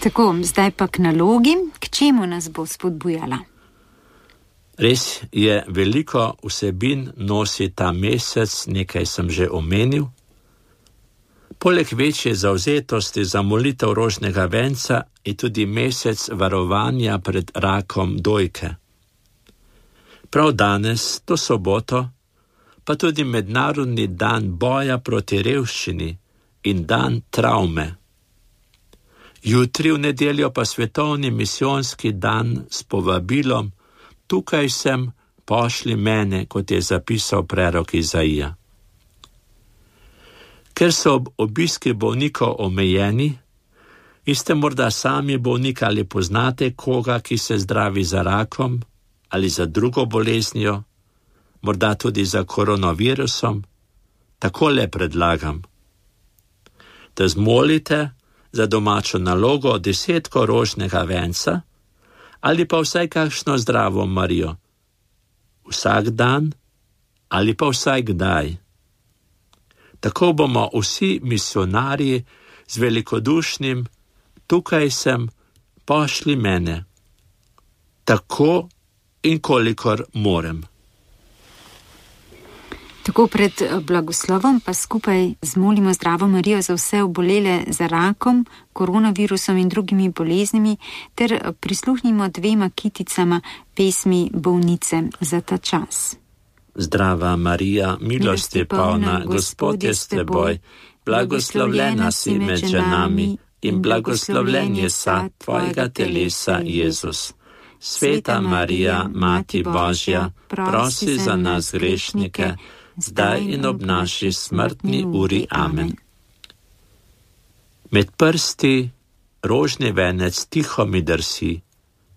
Tako, zdaj pa k nalogi, k čemu nas bo spodbujala? Res je, veliko vsebin nosi ta mesec, nekaj sem že omenil. Poleg večje zavzetosti za molitev rožnega venca je tudi mesec varovanja pred rakom dojke. Prav danes, to soboto, pa tudi mednarodni dan boja proti revščini in dan travme. Jutri v nedeljo pa svetovni misijonski dan s povabilom: tukaj sem, pošli mene, kot je zapisal prerok Izaija. Ker so obiski bolnikov omejeni in ste morda sami bolnik ali poznate koga, ki se zdravi za rakom ali za drugo boleznijo, morda tudi za koronavirusom, takole predlagam, da zmolite za domačo nalogo 10 rožnega venca ali pa vsaj kakšno zdravo Marijo. Vsak dan ali pa vsaj kdaj. Tako bomo vsi misionarji z velikodušnim: tukaj sem, pošli mene. Tako in kolikor morem. Tako pred blagoslovom pa skupaj zmolimo zdravo Marijo za vse obolele za rakom, koronavirusom in drugimi boleznimi ter prisluhnimo 2 kiticama pesmi Bolnice za ta čas. Zdrava Marija, milosti polna, Gospod je s teboj, blagoslovljena si med ženami in blagoslovljen je sad tvojega telesa, Jezus. Sveta Marija, Mati Božja, prosi za nas grešnike, zdaj in ob naši smrtni uri. Amen. Med prsti rožni venec tiho mi drsi,